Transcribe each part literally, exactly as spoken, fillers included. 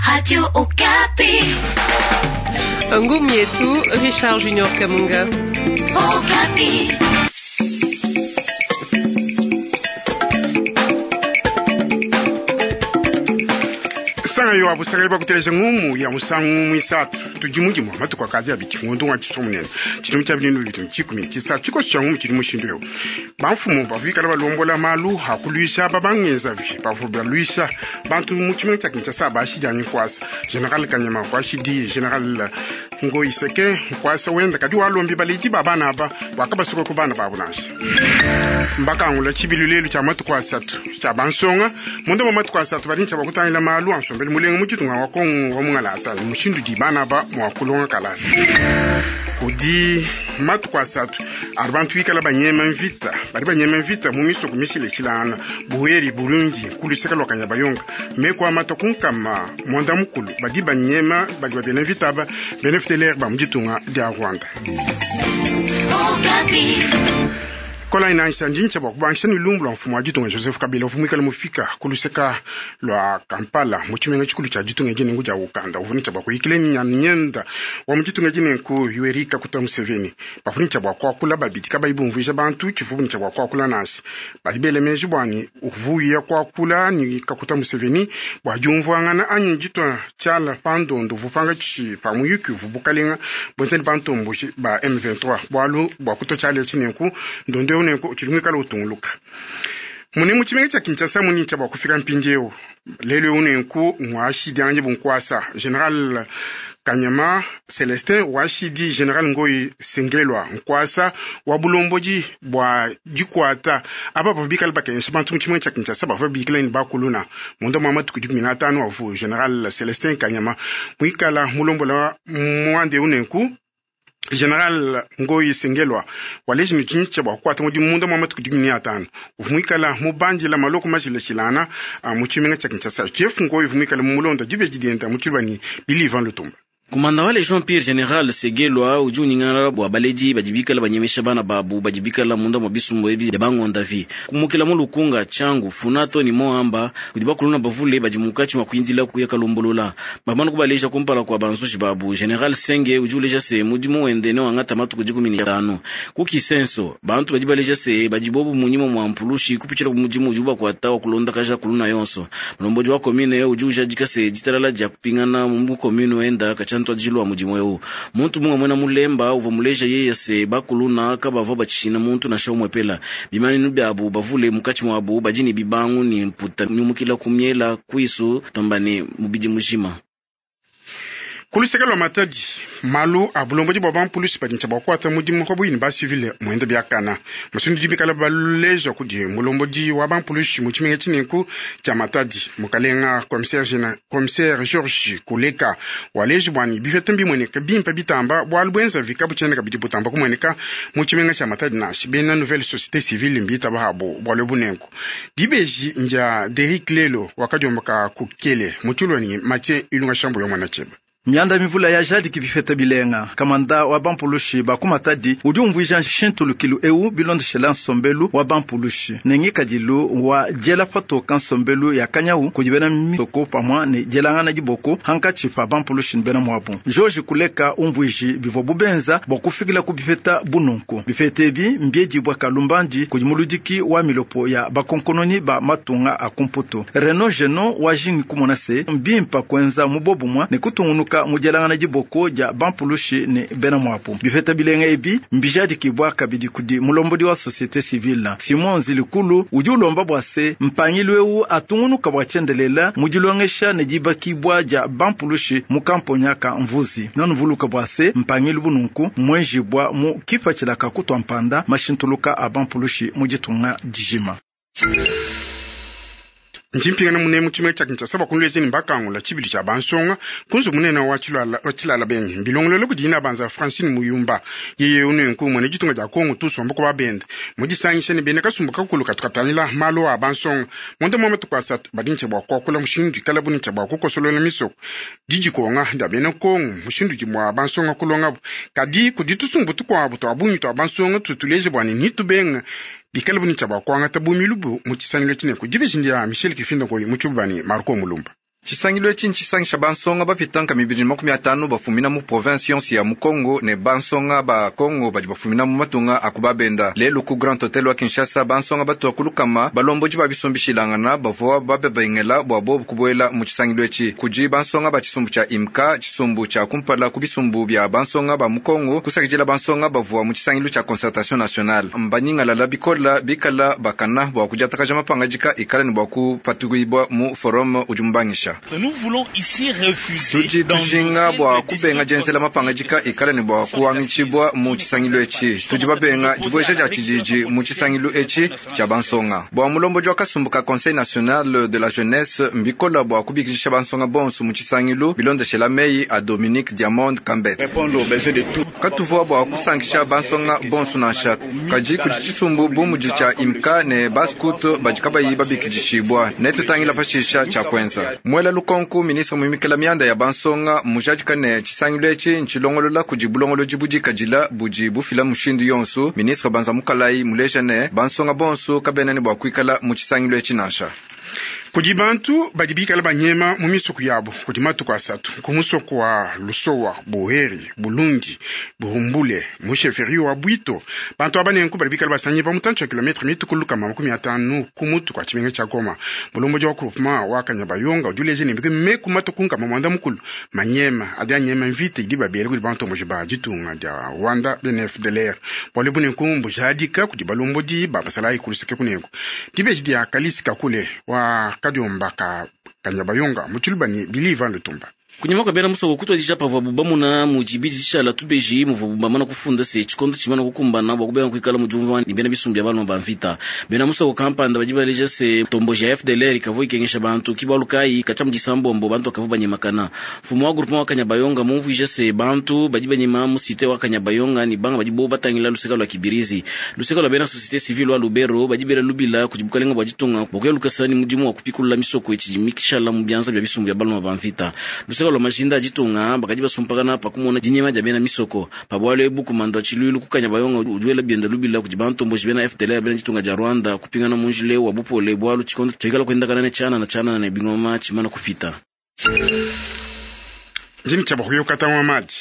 Radio Okapi. Ngumi yetu Richard Junior Kamunga. Okapi. Sanga yo abusanga bakuteleja ngumu ya musangu mwisatu tujimujimu matuku akazi abiti ngondo wa chiso munene chilimo cha bintu bitu chikumi chisa chiko cha ngumu chili mushindu yo bamfumu bavikala balombola malu hakulwisha babangeza vi bavu balwisha bantu mu chimene cha Kinshasa bashidi nkwasa General Kanyama kwashidi General Ngoiseke nkwasa wenda kadi walombi baliji babana aba wakabasuka ku bana babu nansha mbakangula chibilu lelu cha matuku asatu cha bansonga munda wa matuku asatu bali ncha bakutangila malu ansombele mulenga muchitunga wa Kongo wa mungalata mushindu di bana ba mwakulonga kalasa kudi matuku asatu ari bantu ikala banyema mvita bali banyema mvita mu misoko mishileshilana buheri Burundi kuluseka lwa Kanyabayonga mekwa mata kunkama mwanda mukulu badi banyema badi babena mvita aba bena F D L R ba muditunga dia Rwanda. Okapi. Kola inaisha njincha bwa kubansha ni lumbu lwa mfumo wa ditunga Joseph Kabila uvumikala mufika kuluseka lwa Kampala mu chimenga chikulu cha ditunga jine ngu ja Uganda uvunica bwa kuikile nyenda wa mu ditunga jine nku Yoweri Kaguta Museveni bavunica bwa kwakula babidi kabaibumvuisha bantu chivunica bwa kwakula nasi balibele meji bwani uvuya kwakula ni Kaguta Museveni bwa jumvuangana anyi jitwa chala pandondo vupanga chi pamuyuki vubukalenga bwenzeni bantomboshi ba M vingt-trois bwalu bwa kuto chala chine nku ndondo unenko chilumwikala utunguluka mune mu chimenga cha Kinshasa muni cha bwa kufika mpindieu lelo unenku mwashidi anje bunkwasa General Kanyama Celestin washidi General Ngoi Sengelwa nkwasa wa bulomboji bwa jikwata aba bavubikala bakensha bantu mu chimenga cha Kinshasa bava bikala ni bakuluna munda mwa matuku dikumi na tano avu General Celestin Kanyama mwikala mulombola mwande unenku General Ngoi Sengelwa waleji ni chincha bwa kwata mudi munda mwa matuku dikumi na tano uvumwikala mubandila maloko majileshilana mu chimenga cha Kinshasa Jeff Ngoi uvumwikala mumulonda dibe jidenda muchilwani Bilivan Lutumba. Kumanda wale Jean Pierre General Segelwa udi uningana bwa baledi badibikala banyemesha bana babu badibikala munda mwa bisumbu ebi ya bangonda vi kumukila mu lukunga changu funato ni moamba kudi bakuluna bavule badi mukachi mwa kuindila kuya kalumbulula bamanu kubaleja kumpala kwa banzushi babu General Senge udi uleja se mudimu wende ne wangata matuku dikumi ni tano kukisenso bantu badi baleja se badi bobu munyimo mwa mpulushi kupichila ku mudimu udi bakwata wa kulonda kaja kuluna yonso mlombodi wa komine udi ujadika se ditalala dia kupingana mu komine wenda kacha ntwajilwa mudimu eu muntu mumwe mwena mulemba uva muleja yeye se bakuluna kabava bachishina muntu na shomwe pela bimaninu byabu bavule mukachi mwabu bajini bibangu ni mputa nyumukila kumyela kwisu tombani mubidi mujima kuluseka lwa Matadi malu a bulomboji bwa bampulusi badincha bwa kwata mudimu kwa buyini ba civile mwenda byakana musindu dibikala baleja kudi mulomboji wa bampulusi mu chimenga chinenku cha Matadi mukalenga commissaire général commissaire Georges Kuleka waleji bwani bifete mbimweneka bimpa bitamba bwalu bwenza vikabu cheneka bidi butamba kumweneka mu chimenga cha Matadi nashi bena nouvelle société civile mbita bahabo bwalu bunenku dibeji nja Derrick Lelo wakajomboka kukele muchulwani Mathieu Ilunga Shambo yo mwana cheba Mianda mivula ya jadi kibifeta bilenga kamanda wa bampulushi bakumatadi udi umvuija shintulukilu eu bilondeshela nsombelu wa bampulushi nengikadilu wa diela patoka nsombelu ya kanyau kudi bena misoko pamwa ne dielangana diboko hankatshi pa bampulushi ne bena muabu George Kuleka umvuiji bivua bubenza bua kufikila ku bifeta bununku bifeta ebi mbiedibua kalumbandi kudi muludiki wa milopo ya bakonkononi ba matunga a kumputu Reno Geno wa jingi kumona se mbimpa kuenza mubobumwa ne kutungunuka mudielangana diboko dia bampulushi ne bena muabu bifeta bilenga ebi mbijadikibwa kabidi kudi mulombodi wa société civile Simon Zilikulu udi ulomba bua se mpangilu eu atungunuka bua tshiendelela mudilongesha ne dibakibwa dia bampulushi mu kamponya ka mvuzi nanuvuluka bua se mpangilu bununku mwenjibwa mu kipatshila ka kutua mpanda mashintuluka a bampulushi mu ditunga dijima. Njimpingana mune mu chimenga cha Kinshasa bakunlwezeni mbakangula chibili cha bansonga kunzu munene wa chilala wa chilala benyi mbilongololo kudina banza Francine Muyumba yeye unenku mwene ditunga dia Kongo tusomba ko babende mudisangisha ne bene kasumbu kakulu katukatangila malo a bansonga monde mwa matuku asatu badinche bwa kwakula mushindu ikala buninche bwa kukosolola misoko dijikonga nda bene Kongo mushindu jimwa bansonga kulonga kadi kuditusumbu tukwabu twabunyi twa bansonga tutuleje bwani nitubenga bikala buninche bwa kwangata bumilubu mu chisanilo chineko dibe ya Michel Kifinda koyi muchubani Marco Mulumba. Tshisangilu etshi ntshisangisha bansonga bapita mibidi makumi atanu bafumina mu province yonso ya mu Kongo ne bansonga ba Kongo badi bafumina mu matunga a kubabenda. Lelu ku Grand Hotel wa Kinshasa bansonga batua kulukama balombodi ba bisumbishilangana bavua bababengela bua bobu kubuela mu tshisangilu etshi. Kudi bansonga ba tshisumbu tshia IMKA, tshisumbu tshia kumpala ku bisumbu bia bansonga ba mu Kongo, kusakidila bansonga bavua mu tshisangilu tshia concertation nationale. Mbanyingalala bikola bikala bakana bua kudiatakaja mapangadika ikala ne bua kupatuibua mu forum udi mubangisha. Tudi tujinga bua kubenga dienzela mapangadika ikala ne bua kuangitshibua mu tshisangilu etshi. Tudi babenga dibueja dia tshididi mu tshisangilu etshi tshia bansonga. Bua mulombodi wa kasumbu ka Conseil national de la jeunesse mbikola bua kubikidisha bansonga bonso mu tshisangilu bilondeshela meyi a Dominique Diamond Kambet. Katuvua bua kusankisha bansonga bonso nansha kadi kudi tshisumbu bu mudi tshia IMKA ne bascout badi kabayi babikidishibua ne tutangila pashisha tshia kuenza. Mwela lukonku ministre muimikila mianda ya bansonga mujadika ne tshisangilu etshi ntshilongolola kudi bulongolodi budikadila budi bufila mushindu yonso. Ministre Banza Mukalai muleja ne bansonga bonso kabena ne bua kuikala mu tshisangilu etshi nansha. Kudi bantu badi bikala banyema mu misuku yabo kudi matuku asatu ku musoko wa Lusowa, Buheri, Bulungi, Buhumbule, mu sheferi wa Bwito. Bantu aba nenku badi bikala basanye pa mutantshi wa kilometre mitukulu kama makumi atanu ku mutu kwa tshimenga tshia Goma. Mulombodi wa groupement wa Kanyabayonga udi uleja ne meku matuku nkama mwanda mukulu manyema adi anyema mvita idi babele kudi bantu mboji ba ditunga dia Rwanda B N F D L R. Bualu bunenku mbujadika kudi balombodi ba basalayi kuluseke kunenku. Dibeji dia Kalisi Kakule wa Kadiomba ka Kanyabayonga mu tshiluba ne Biliva Lutumba. Kunyuma kwa bena musoko kutwadija pavua bamuna mujibidi tshishala tubeji muvua bamana kufunda se tshikondo tshimana kukumbana bua kubenga kuikala mu diumvua ni bena bisumbu bia baluma ba mvita. Bena musoko kampanda badi baleja se tomboji ya F D L R ikavua ikengesha bantu kibalu kayi katshia mu disambombo bantu bakavua banyemakana. Mfumu wa groupement wa Kanyabayonga mumvuija se bantu badi banyema mu cité wa Kanyabayonga ni banga badi bo batangila luseka lwa Kibirizi. Luseka lwa bena société civile wa Lubero badi bela lubila kudi bukalenga bua ditunga bua kuya lukasa ni mudimu wa kupikulula misoko itshidi mikishala mu bianza bia bisumbu bia baluma ba mvita. Luseka lwa majinda ditunga bakadi basumpakana pakumona dinyema dia bena misoko pabwalo ebu kumanda tshiluilu ku Kanyabayonga udiwela bienda lubila kudi bantu mboji bena F D L R bena ditunga dia Rwanda kupingana mu njile wa bupole bwalu tshikondo tshikala kuendakana ne tshianana tshianana ne bingoma tshimana kupita. Njini tshia bakuyokata wa madi.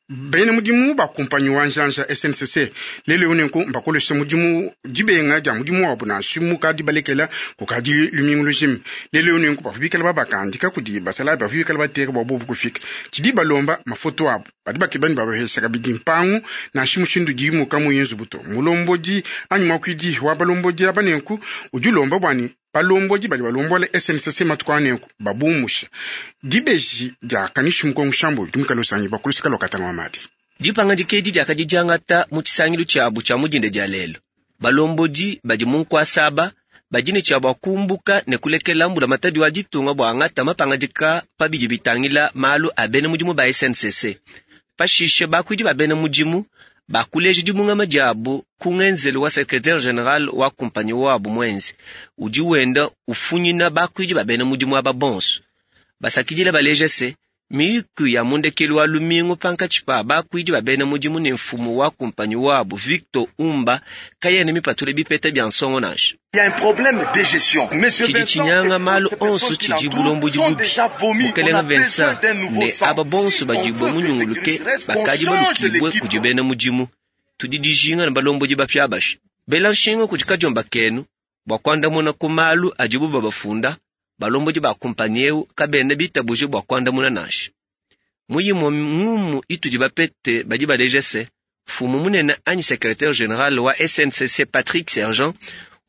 Bena mudimu ba kumpanyi wa njanja S N C C lelo unenku mbakolesha mudimu dibenga dia mudimu wabo nansha mukadi balekela kukadi lumingu lujima. Lelo unenku bavubikala babakandika kudi basalayi bavubikala bateka bua bobu kufika. Tshidi balomba mafoto abo badi bakeba ne babahesha kabidi mpangu nansha mushindu dimuka mu yinzu buto. Mulombodi anyi mwakuidi wa balombodi aba nenku udi ulomba bua ne balombodi badi balombola S N C C matuku anenku babumusha. Dibeji dia Kanishi Mukongo Shambo dimukalo sanyi bakulusika lokatanga wa madi. Dipanga dikedi diakadi diangata mu tshisangilu tshiabu tshia mudinde dia lelo. Balombodi badi mu nkuasaba badi ne tshia bua kumbuka ne kulekela mbula matadi wa ditunga bua angata mapangadika pa bidi bitangila malu a bena mudimu ba S N C C. Pashishe bakuidi ba bena mudimu bakuleja dibungama diabu ku ngenzelu wa secrétaire général wa kumpanyi wabu mwenze udi wenda ufunyina bakuidi ba bena mudimu aba bonso. Basakidila baleja se miyuku ya mundekelu wa lumingu pankatshi pa bakuidi ba bena mudimu ne mfumu wa kumpanyi wabu Victor Umba kayene mipatule bipeta bia nsongo nansha. Il y a un problème de gestion. Monsieur Tshidi Vincent tshinyanga et malu toutes ces onso personnes qui tshidi l'entourent bulombodi sont bubi. déjà vomis. Mukelenge On a besoin Vincent d'un nouveau ne sang. aba bonso Si badi on veut que bamunyunguluke Idriss reste, qu'on bakadi change balukibwe l'équipe. kudi bena mudimu. Tudi dijinga ne balombodi bapya bashi. Bela nshinga kudi kadiomba kenu bua kuandamuna ku malu adibu babafunda balombodi ba kumpanyi eu kabena bitabuje bua kuandamuna nansha. Muyimo ngumu itudi bapete badi baleja se mfumu munene anyi secrétaire général wa S N C C Patrick Sergent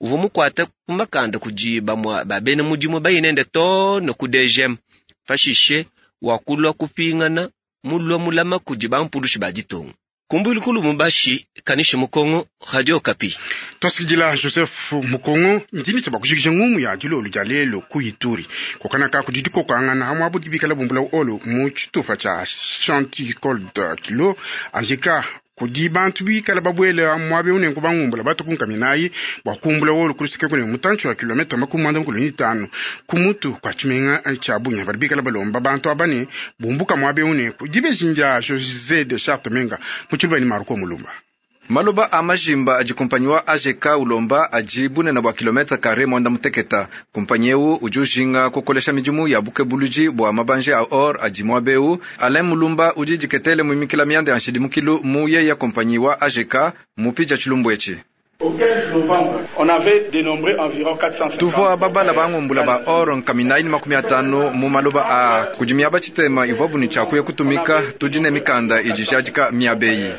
uvua mukuata ku makanda kudi bamua ba bena mudimu bayinende too ne ku D G M. Pashishe wakulua kupingana mulua mulama kudi bampulushi ba ditunga. Kumbuilu Mubashi, Kanishi Mukongo, Radio Okapi. Twasikidila Joseph Mukongo, ndini tshaba kujikija ngumu ya dilolo dia lelo ku Ituri. Kokana ka kudi dikokangana hamwe abu dibikala bumbula olo mu tshitupa tshia Chanticold Kilo anjika kudi bantu bikala babwele mwabe unenku bangumbula batukunkaminayi bua kumbula wolo kuluseke kune mutantshi wa kilomita makumi mwanda mukulu ni tano ku mutu kwa tshimenga tshia Bunia. Badi bikala balomba bantu aba ne bumbuka mwabe unenku. Dibeji ndia José de Charte Menga mu tshiluba ni Marco Mulumba. Maloba a majimba adi kumpanyi wa A G K ulomba adi bunene bua kilometre kare mwanda muteketa. Kumpanyi eu udi ujinga kukolesha midimu ya bukebuluji bua mabanje a or adi muaba. Alain Mulumba udi diketele muimikila mianda ya nshidimukilu mu yeya kumpanyi wa A G K mupija tshilumbu etshi. Tuvua babala bangumbula ba or nkaminayi ni makumi atanu mu maloba a kudi miaba tshitema ivua ni tshiakuya kutumika tudi ne mikanda idi jadika miabeyi.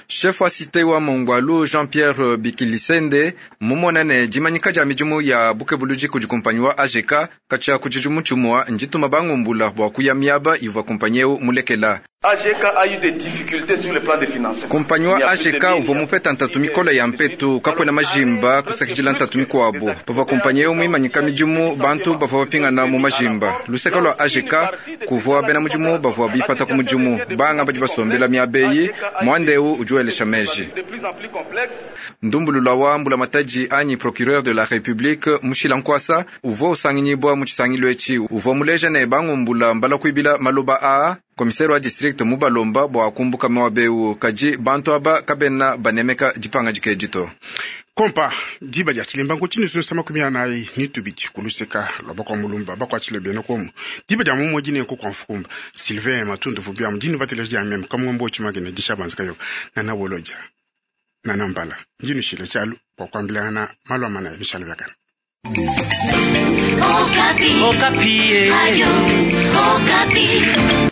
Chef wa cité wa Mongwalu Jean-Pierre Bikilisende mumonane dimanyika dia midimu ya bukebuluji kudi kumpanyi wa A G K katshia ku tshidimu tshimua ndituma bangumbula bua kuya miaba ivua kumpanyi eu mulekela. A G K a eu des difficultés sur le plan de financement. Kumpanyi wa A G K uvua mupeta ntatu mikola ya mpetu kakwena majimba kusakidila ntatu mikuabu. Pavua kumpanyi eu muimanyika midimu bantu bavua bapingana mu majimba. Luseka lwa A G K kuvua bena mudimu bavua bipata ku mudimu banga badi basombela miabeyi mwanda eu udi welesha meji. Ndumbulula wa mbula mataji anyi procureur de la République Mushila Nkwasa uvua usanginyibwa mu tshisangilu etshi uvua muleja ne bangumbula mbala kuibila maloba a commissaire wa district mubalomba bua kumbuka mwabeu kaji bantu aba kabena banemeka dipanga dikedito. Kompa diba dia tshilemba nkutshini sunsa makumi anayi ni tubidi kuluseka lwa bakwa mulumba bakwatshile bene komu diba dia mumodi ne nku kwa mfukumba Sylvain Matundu vubia mudini bateleja dia meme kamwombo tshimagene dishabanza kayo nana boloja nana mbala ndinu shile tshalu kwa kwambilana malwa mana mishalo yakana. Okapi. Okapi. Radio Okapi.